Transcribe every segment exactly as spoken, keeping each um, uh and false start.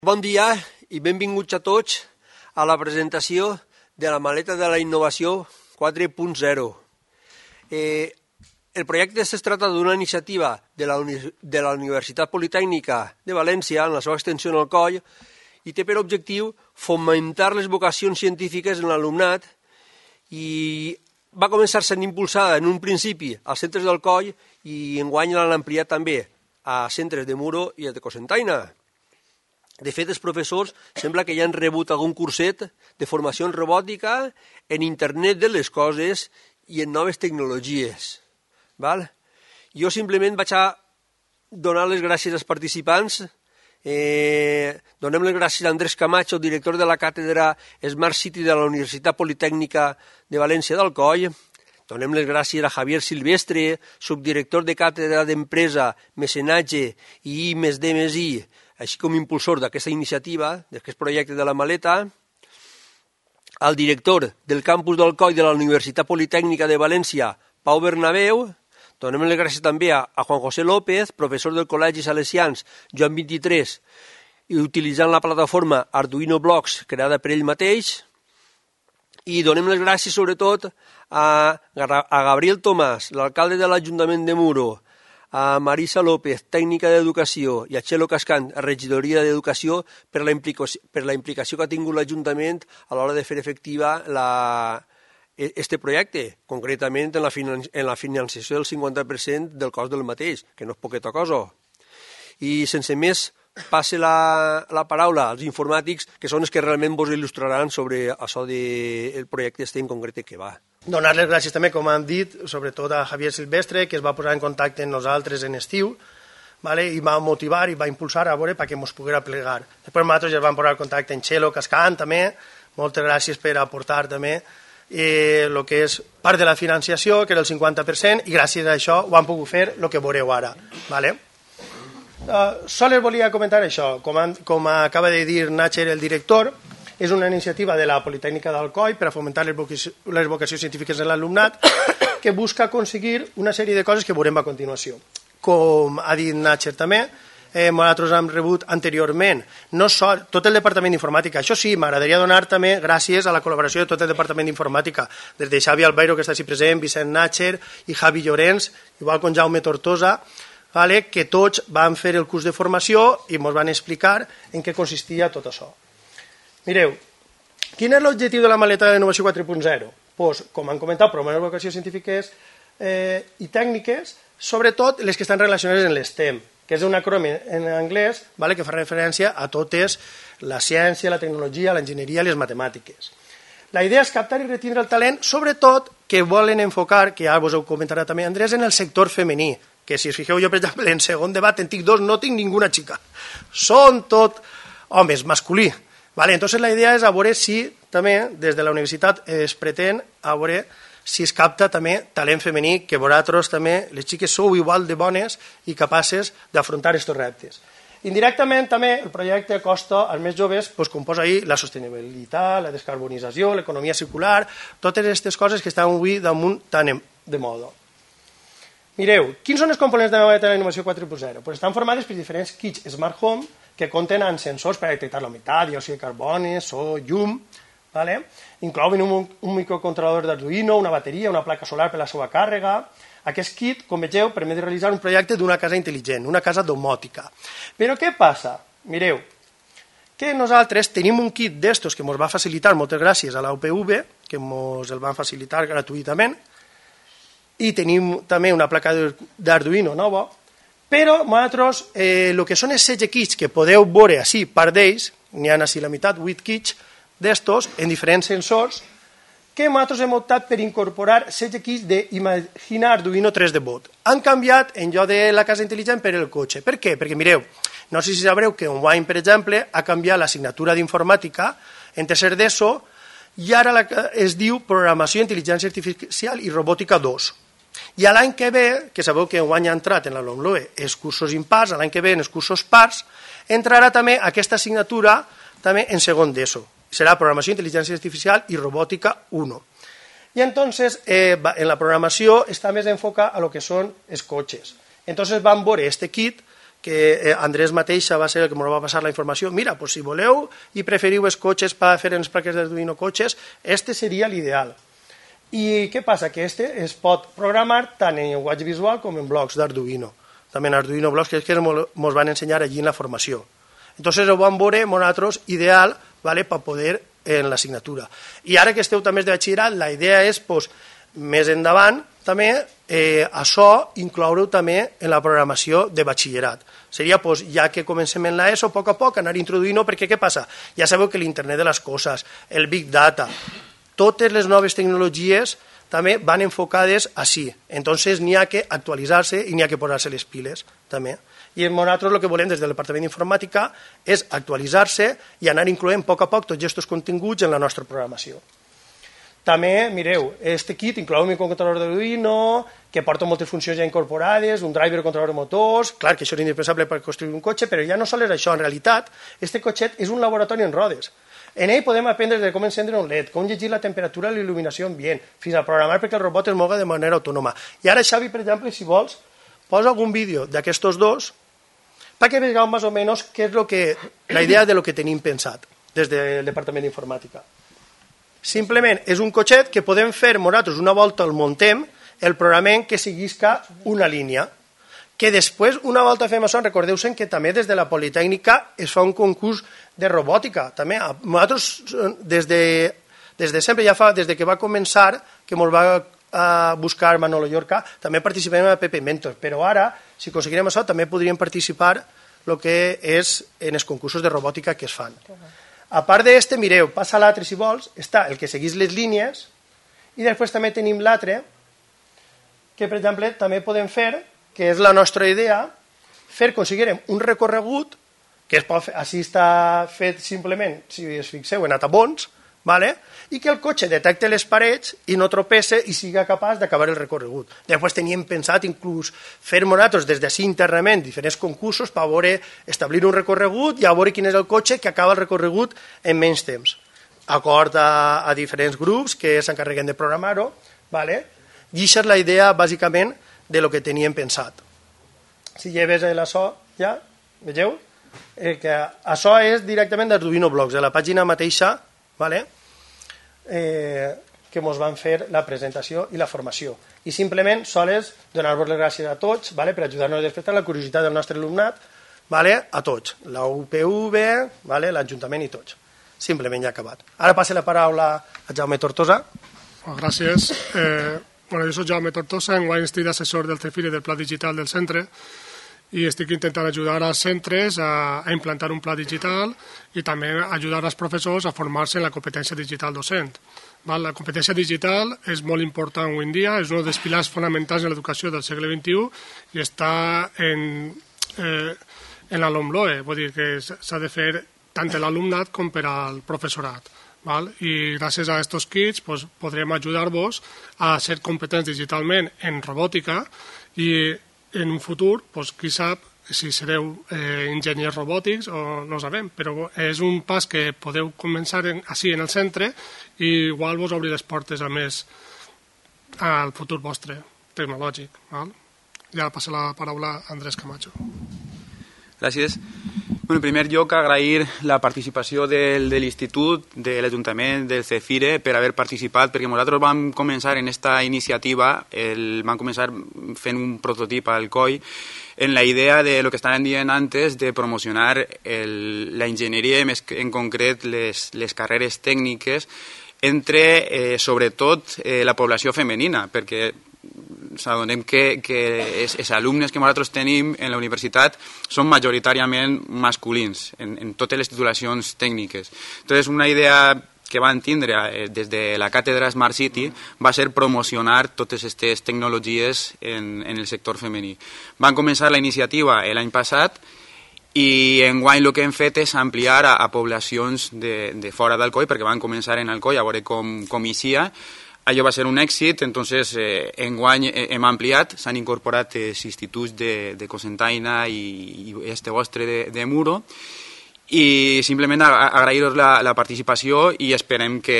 Bon dia i benvinguts a tots a la presentació de la maleta de la innovació quatre punt zero. Eh, el projecte es tracta d'una iniciativa de la, de la Universitat Politècnica de València, en la seva extensió en el coll, i té per objectiu fomentar les vocacions científiques en l'alumnat i va començar sent impulsada en un principi als centres del coll i enguany l'han ampliat també a centres de Muro i de Cocentaina. De fet, els professors sembla que ja han rebut algun curset de formació en robòtica, en internet de les coses i en noves tecnologies. Val? Jo simplement vaig a donar les gràcies als participants. Eh, donem les gràcies a Andrés Camacho, director de la càtedra Smart City de la Universitat Politècnica de València del Coll. Donem les gràcies a Javier Silvestre, subdirector de càtedra d'empresa, mecenatge i I més D més I, així com impulsor d'aquesta iniciativa, d'aquest projecte de la maleta, al director del campus del Coll de la Universitat Politècnica de València, Pau Bernabéu. Donem les gràcies també a, a Juan José López, professor del Col·legi Salesians Joan vint-i-tres, i utilitzant la plataforma Arduino Blocks creada per ell mateix. I donem les gràcies sobretot a, a Gabriel Tomàs, l'alcalde de l'Ajuntament de Muro, a Marisa López, tècnica d'educació, i a Txelo Cascant, a regidoria d'educació, per la implicació, per la implicació que ha tingut l'Ajuntament a l'hora de fer efectiva la, este projecte, concretament en la, finan, en la financiació del cinquanta per cent del cost del mateix, que no és poqueta cosa. I sense més, passe la, la paraula als informàtics, que són els que realment vos il·lustraran sobre això del projecte este en concret que va. Donar les gràcies també, com han dit, sobretot a Javier Silvestre, que es va posar en contacte amb nosaltres en estiu, vale? I va motivar i va impulsar a veure perquè ens poguera plegar. Després nosaltres ja vam posar en contacte amb Txelo Cascant també, moltes gràcies per aportar també el eh, que és part de la financiació, que era el cinquanta per cent, i gràcies a això ho han pogut fer el que veureu ara. Vale? Uh, sols volia comentar això, com, han, com acaba de dir Natcher, el director, és una iniciativa de la Politècnica d'Alcoi per a fomentar les, vocacions, les vocacions científiques en l'alumnat que busca aconseguir una sèrie de coses que veurem a continuació. Com ha dit Natcher també, eh, nosaltres hem rebut anteriorment no sol, tot el Departament d'Informàtica. Això sí, m'agradaria donar també gràcies a la col·laboració de tot el Departament d'Informàtica, des de Xavi Albeiro, que està així present, Vicent Natcher i Javi Llorenç, igual com Jaume Tortosa, vale, que tots van fer el curs de formació i ens van explicar en què consistia tot això. Mireu, quin és l'objectiu de la maleta de l'innovació quatre punt zero? Pues, com han comentat, promoure vocacions científiques eh, i tècniques, sobretot les que estan relacionades amb l'STEM, que és un acrònim en anglès, vale, que fa referència a totes la ciència, la tecnologia, l'enginyeria i les matemàtiques. La idea és captar i retindre el talent, sobretot que volen enfocar, que ja vos ho comentarà també Andrés, en el sector femení, que si us fixeu jo, per exemple, en segon debat en tinc dos, no tinc ninguna xica. Són tot homes, masculí. Vale, entonces la idea és a veure si també des de la universitat es pretén a veure si es capta també talent femení, que vosaltres també, les xiques sou igual de bones i capaces d'afrontar aquests reptes. Indirectament també el projecte acosta als més joves, doncs, com posa ahir, la sostenibilitat, la descarbonització, l'economia circular, totes aquestes coses que estan avui damunt tan de moda. Mireu, quins són els components de la maleta de la innovació quatre punt zero? Pues estan formades per diferents kits Smart Home que compten amb sensors per a detectar la humitat, diòxid de carboni, so, llum, vale? Inclouen un, un microcontrolador d'Arduino, una bateria, una placa solar per a la seva càrrega. Aquest kit, com vegeu, permet realitzar un projecte d'una casa intel·ligent, una casa domòtica. Però què passa? Mireu, que nosaltres tenim un kit d'estos que ens va facilitar, moltes gràcies a la U P V, que ens el van facilitar gratuïtament, i tenim també una placa d'Arduino nova, però nosaltres, eh, el que són els setze kits que podeu veure així, part d'ells, n'hi ha així la meitat, vuit kits d'estos, en diferents sensors, que nosaltres hem optat per incorporar setze kits d'Imagina Arduino tres D Bot. Han canviat, en lloc de la casa intel·ligent, per el cotxe. Per què? Perquè mireu, no sé si sabreu que Enguany, per exemple, ha canviat l'assignatura d'informàtica en tercer d'ESO i ara la, es diu Programació, Intel·ligència Artificial i Robòtica dos. I l'any que ve, que sabeu que enguany ha entrat en la LOMLOE els cursos impars, l'any que ve en els cursos pars, entrarà també aquesta assignatura també en segon d'ESO. Serà Programació, Intel·ligència Artificial i Robòtica un. I entonces eh, en la programació està més enfocat a lo que són els cotxes. Entonces van veure este kit que Andrés mateixa va ser el que ens va passar la informació. Mira, pues, si voleu i preferiu els cotxes per fer en les plaques d'Arduino cotxes, este seria l'ideal. I què passa? Que este es pot programar tant en llenguatge visual com en blocs d'Arduino. També en Arduino blocs, que és que ens van ensenyar allí en la formació. Entonces ho vam veure nosaltres ideal, ¿vale?, per poder en l'assignatura. I ara que esteu també de batxillerat, la idea és, pues, més endavant, també, eh, això incloure-ho també en la programació de batxillerat. Seria, pues, ja que comencem en l'ESO, a poc a poc, anar introduint-ho, perquè què passa? Ja sabeu que l'internet de les coses, el Big Data, totes les noves tecnologies també van enfocades així. Entonces n'hi ha que actualitzar-se i n'hi ha que posar-se les piles, també. I nosaltres el que volem des del Departament d'Informàtica és actualitzar-se i anar incloent a poc a poc tots aquests continguts en la nostra programació. També, mireu, este kit inclou un microcontrolador d'Arduino, que porta moltes funcions ja incorporades, un driver controlador de motors, clar que això és indispensable per construir un cotxe, però ja no sols és això, en realitat, este cotxet és un laboratori en rodes. En ell podem aprendre de com encendre un L E D, com llegir la temperatura i la il·luminació ambient, fins a programar perquè el robot es moga de manera autònoma. I ara, Xavi, per exemple, si vols, posa algun vídeo d'aquests dos perquè vegeu més o menys què és lo que, la idea de lo que tenim pensat des del Departament d'Informàtica. Simplement és un cotxet que podem fer nosaltres una volta el muntem, el programem que seguisca una línia, que després, una volta fem això, recordeu-se que també des de la Politècnica es fa un concurs de robòtica. També nosaltres, des de, des de sempre, ja fa, des de que va començar, que ens va a buscar Manolo Llorca, també participem en la P P Mentor, però ara, si aconseguirem això, també podríem participar el que és en els concursos de robòtica que es fan. A part d'este, mireu, passa l'altre si vols, està el que seguís les línies, i després també tenim l'altre, que per exemple també podem fer, que és la nostra idea, fer, aconseguirem un recorregut, que es pot fer, així està fet simplement, si es fixeu, en atabons, ¿vale? I que el cotxe detecte les parets i no tropece i siga capaç d'acabar el recorregut. Després teníem pensat inclús fer nosaltres des d'ací internament diferents concursos per veure, establir un recorregut i a veure quin és el cotxe que acaba el recorregut en menys temps. Acord a, a diferents grups que s'encarreguen de programar-ho, ¿vale? I això és la idea bàsicament de lo que teníem pensat. Si lleves l'açò, ja, vegeu? Eh, que això és directament d'Arduino Blocks, de la pàgina mateixa, ¿vale? Eh, que ens van fer la presentació i la formació. I simplement sols donar-vos les gràcies a tots, ¿vale? Per ajudar-nos a despertar la curiositat del nostre alumnat, ¿vale? A tots, la U P V, ¿vale? l'Ajuntament i tots. Simplement ja acabat. Ara passo la paraula a Jaume Tortosa. Oh, gràcies. Eh, bueno, jo soc Jaume Tortosa, enguany estic d'assessor del CEFIRE del Pla Digital del centre i estic intentant ajudar als centres a, a implantar un pla digital i també ajudar als professors a formar-se en la competència digital docent. Val? La competència digital és molt important avui en dia, és un dels pilars fonamentals de l'educació del segle vint-i-u i està en, eh, en la LOMLOE, vull dir que s'ha de fer tant per l'alumnat com per al professorat. Val? I gràcies a aquests kits pues, podrem ajudar-vos a ser competents digitalment en robòtica i en un futur, pues, qui sap si sereu eh, enginyers robòtics o no ho sabem, però és un pas que podeu començar en, així en el centre i igual vos obrir les portes a més al futur vostre tecnològic. Val? Ja passa la paraula a Andrés Camacho. Gràcies. Bueno, en primer lloc, agrair la participació del, de l'Institut, de l'Ajuntament, del CEFIRE, per haver participat, perquè nosaltres vam començar en aquesta iniciativa, el, vam començar fent un prototip al C O I, en la idea de lo que estaven dient antes, de promocionar el, la enginyeria, més en concret les, les carreres tècniques, entre, eh, sobretot, eh, la població femenina, perquè s'adonem que, que els, els alumnes que nosaltres tenim en la universitat són majoritàriament masculins en, en totes les titulacions tècniques. Entonces, una idea que van tindre eh, des de la càtedra Smart City va ser promocionar totes aquestes tecnologies en, en el sector femení. Van començar la iniciativa l'any passat i enguany el que hem fet és ampliar a, a poblacions de, de fora d'Alcoi, perquè van començar en Alcoi a veure com, com eixia. Allò va ser un èxit, entonces eh, enguany hem ampliat, s'han incorporat els instituts de, de Cocentaina i, i este vostre de, de Muro, i simplement agrair-vos la, la participació i esperem que,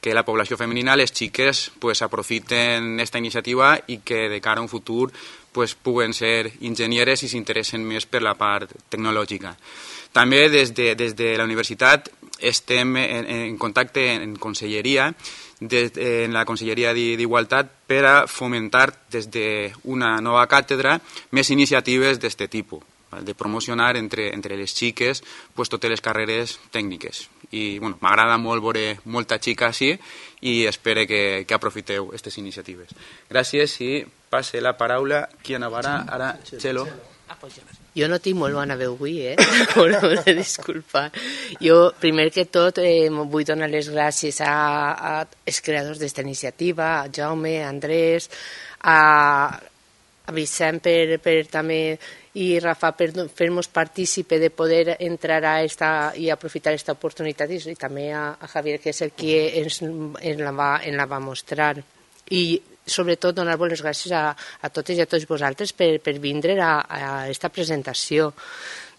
que la població femenina, les xiques, pues, aprofiten aquesta iniciativa i que de cara a un futur pues, puguen ser enginyeres i s'interessen més per la part tecnològica. També des de, des de la universitat estem en, en contacte en conselleria, des, en la Conselleria d'Igualtat, per a fomentar des d'una nova càtedra més iniciatives d'aquest tipus, de promocionar entre, entre les xiques pues, totes les carreres tècniques. I bueno, m'agrada molt veure molta xica així i espero que, que aprofiteu aquestes iniciatives. Gràcies i passe la paraula qui anavarà ara, Txelo. Jo no tinc molt bona veu avui, eh? M'ho de disculpar. Jo, primer que tot, eh, vull donar les gràcies a, a els creadors d'esta iniciativa, a Jaume, a Andrés, a, a Vicent per, per també i Rafa per fer-nos partícipe de poder entrar a esta i aprofitar aquesta oportunitat i, i també a, a Javier, que és el que ens, ens, la va, ens la va mostrar. I sobretot donar-vos les gràcies a, a totes i a tots vosaltres per, per vindre a, a aquesta presentació.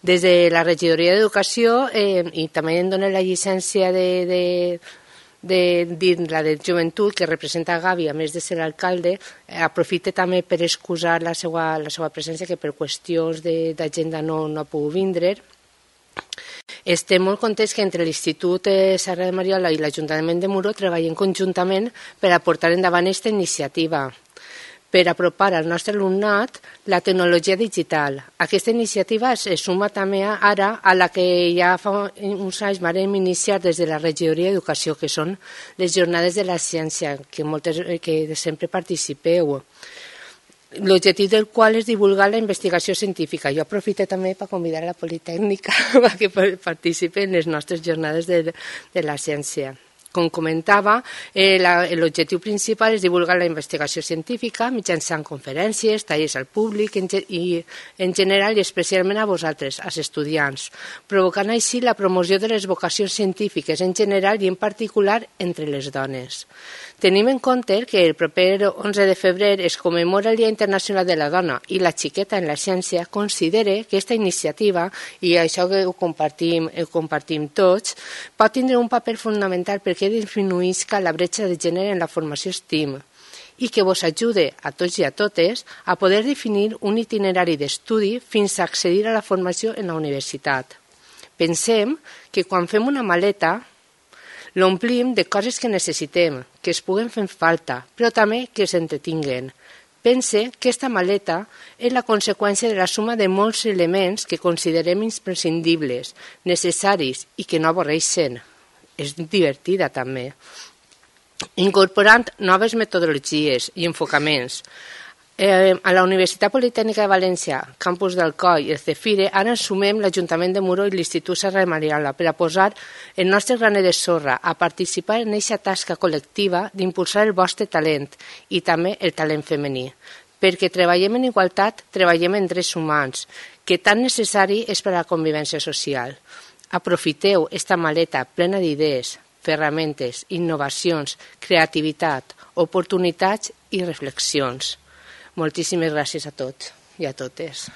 Des de la Regidoria d'Educació eh, i també em dono la llicència de, de, de dir la de Joventut, que representa Gavi, a més de ser l'alcalde, eh, aprofite també per excusar la seva, la seva presència, que per qüestions d'agenda no, no ha pogut vindre. Estem molt contents que entre l'Institut Serra de Mariola i l'Ajuntament de Muro treballem conjuntament per a portar endavant aquesta iniciativa, per apropar al nostre alumnat la tecnologia digital. Aquesta iniciativa es suma també ara a la que ja fa uns anys vam iniciar des de la Regidoria d'Educació, que són les jornades de la ciència, que, moltes, que sempre participeu. L'objectiu del qual és divulgar la investigació científica. Jo aprofito també per convidar a la Politècnica perquè participi en les nostres jornades de, de la ciència. Com comentava, eh, l'objectiu principal és divulgar la investigació científica mitjançant conferències, tallers al públic en, i en general i especialment a vosaltres, als estudiants, provocant així la promoció de les vocacions científiques en general i en particular entre les dones. Tenim en compte que el proper onze de febrer es commemora el Dia Internacional de la Dona i la xiqueta en la ciència considera que aquesta iniciativa, i això que ho compartim, ho compartim tots, pot tindre un paper fonamental perquè disminuïsca la bretxa de gènere en la formació STEAM i que vos ajude a tots i a totes a poder definir un itinerari d'estudi fins a accedir a la formació en la universitat. Pensem que quan fem una maleta l'omplim de coses que necessitem, que es puguen fer falta, però també que s'entretinguen. Pense que aquesta maleta és la conseqüència de la suma de molts elements que considerem imprescindibles, necessaris i que no avorreixen. És divertida també. Incorporant noves metodologies i enfocaments. Eh, a la Universitat Politècnica de València, campus d'Alcoi i el CEFIRE, ara ens sumem l'Ajuntament de Muro i l'Institut Serra de Mariola per a posar el nostre graner de sorra, a participar en aquesta tasca col·lectiva d'impulsar el vostre talent i també el talent femení. Perquè treballem en igualtat, treballem en drets humans, que tan necessari és per a la convivència social. Aprofiteu esta maleta plena d'idees, ferramentes, innovacions, creativitat, oportunitats i reflexions. Moltíssimes gràcies a tots i a totes.